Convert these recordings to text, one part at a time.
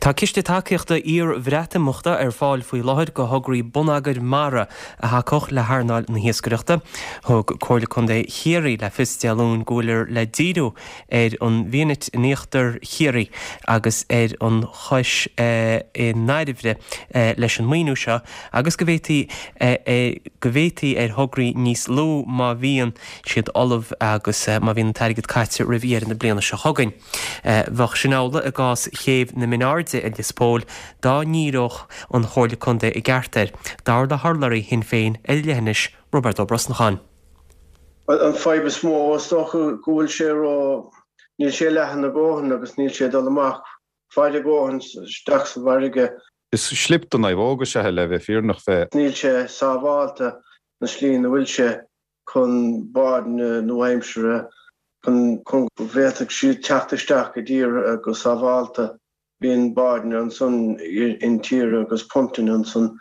Tá ciste tacaíochta iar-Bhreatimeachta ar fáil faoi láthair do thograí bonneagair mara a thacódh le hearnáil na hiascaireachta. Thug Comhairle Contae Chiarraí le fios Dé Luain go bhfuiltear le díriú ar an bhFianait in íochtar Chiarraí agus ar an Chois i nDairbhre leis an maoiniú seo agus go bhféadfaí go bhféadfaí ar thograí níos lú má bhíonn siad ullamh agus má bhíonn an t-airgead caite roimh dheireadh na bliana seo chugainn. Bheadh sin amhlaidh i gcás chéibh na Mine Airde i Lios Póil dá ndíreodh an Chomhairle Contae i gceart air, dar le hurlabhraí Shinn Féin ar leithinis Roibeard Ó Brosnacháin. An fadhb is mó is dócha go bhfuil sé ró, níl sé leathan a dhóthain agus níl sé ag dul amach fada a dhóthain isteach sa bhfarraige. Is slip do naomhóg is ea é le bheith fírinneach fé. Níl sé sábhálta na slí ina bhfuil sé. chun báid nua-aimseartha chun go bhféadfadh siad teacht isteach i dtír go sábhálta. Bíonn báid ansan intíre agus puntanna ansan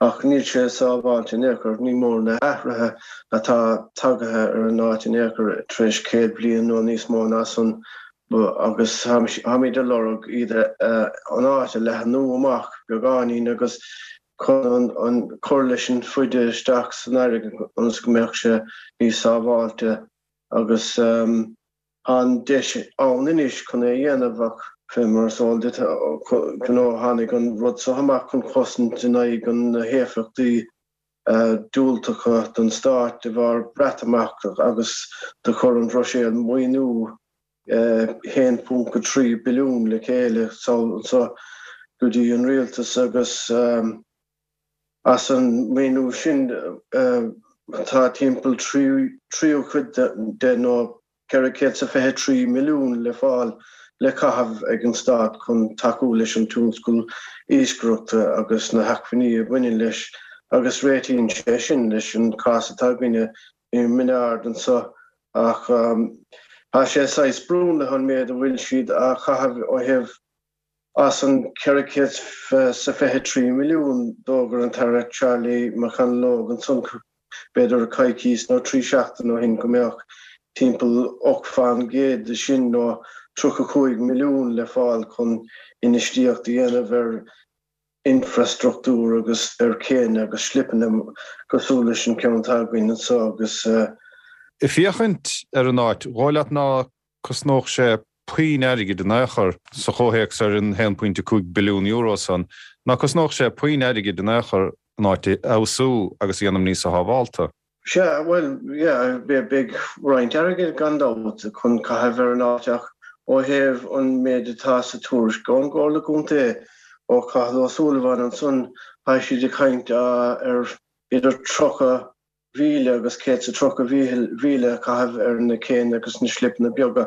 ach níl sé sábháilte in aon chor. Ní mór na hathruithe atá tagaithe ar an áit in aon chor tar éis 100 bliain nó níos mó ná san agus táimid ag lorg iad an áit a leathnú amach beagáinín agus chun an cur leis an faide isteach san fharraige ionas go mbeadh sé níos sábháilte agus tá an deis ann anois chun é a dhéanamh ach fé mar is eol duit you know tháinig an rud seo amach chun cosaint in aghaidh na héifeachtaí diúltacha don stát de bharr Breatimeacht agus do chuir an Bhruiséil maoiniú 1.3 billiún le chéile sall anso go dtí an rialtas agus as an maoiniú sin tá timpeall tríú cuid de nó 423 milliún le fáil le caitheamh ag an stát chun tacú leis an tionscal iascaireachta agus na hacmhainní a bhaineann leis agus réitíonn sé sin leis an cás atá againne i Min Ard anso ach tá sé saghas sprionlaithe an méid a bhfuil siad á chaitheamh ó thaobh as an 423 milliún d'fhógair an tAire Charlie McConalogue ansan b'fhéidir coicís nó 3 seachtain ó shin go mbeadh timpeall 8 fán gcéad de sin nó 35 milliún le fáil chun infheistíocht a dhéanamh ar infreastruchtúr agus ar chéanna agus slipeanna cosúil leis an ceann atá againn anseo agus. Ag féachaint ar an áit, dhóigh leat ná cosnódh sé puinn airgid in aon chor, sa chomhthéacs ar an €1.5 billiún san, ná cosnódh sé puinn airgid in aon chor an áit a fheabhsú agus a dhéanamh níosa shábhálta? Sea, bhuel, yeah, beidh roinnt airgid gan dabht chun caitheamh ar an áit ach ó thaobh an méid atá sa tuairisc ón gComhairle Contae, ó Cathal Ó Súilleabháin ansan, tá siad ag caint ar idir 30,000 agus 130,000 a chaitheamh ar na céanna agus na slipeanna beaga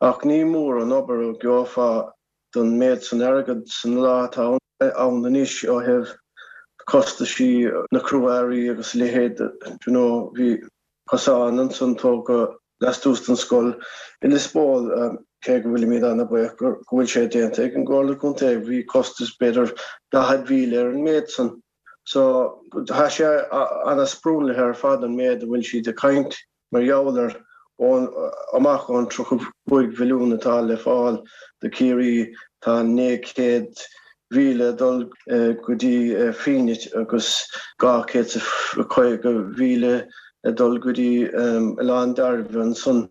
ach ní mór an obair a gheofá don méid san airgead san lá atá ann anois ó thaobh costaisí na crua-earraí agus a leithéid you know bhí cosán ansan tógtha lastuas den scoil i Lios Póil cé go bhfuilimid ana-bhuíoch go bhfuil sé déanta ag an gComhairle Contae bhí costas b'fhéidir 40,000 ar an méid san. So tá sé ana-sprionlaithe ar fad an méid a bhfuil siad ag caint mar gheall air ón amach ón 35 mhilliún atá le fáil do Chiarraí tá 900,000 ag dul go dtí Fíonait agus 250,000 ag dul go dtí Oileán Dairbhre ansan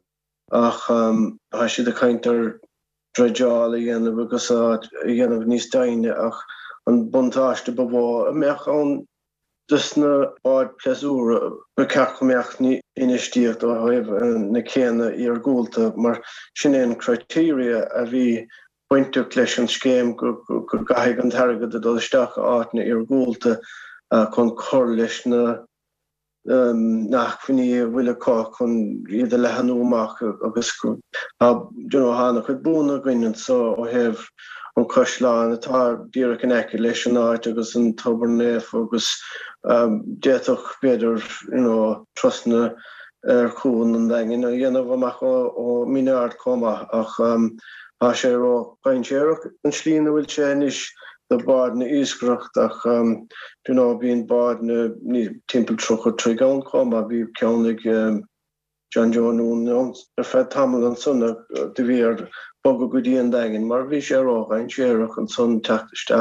ach tá siad ag caint ar dreideáil a dhéanamh agus áit a dhéanamh níos doimhne ach an buntáiste ba mhó a mbeadh ann dos na báid pléasúir ba cheart go mbeadh infheistíocht ó thaobh na céanna iargúlta mar sin é an criteria a bhí bainteach leis an scéim go gcaithfidh an t-airgead a dul isteach i áiteanna iargúlta chun cur leis na na hacmhainní a bhfuil acu chun iad a leathanú amach agus tá you know tá an-chuid buanna againn anseo ó thaobh an caisleán atá díreach in aice leis an áit agus an Tobar Naofa agus d'fhéadfadh b'fhéidir you know trasna ar Chuan an Daingin a dhéanamh amach ó Mhín Aird chomh maith ach tá sé ró-dhainséarach an slí ina bhfuil sé anois do bháid iascaireachta ach you know bíonn báid timpeall 30 troigh ann chomh maith. Bhí ceann ag John Joe Noone ann ar feadh tamall ansan do bhí ar. Bogadh go dtí an Daingean mar bhí sé ródhainséarach ansan teacht isteach.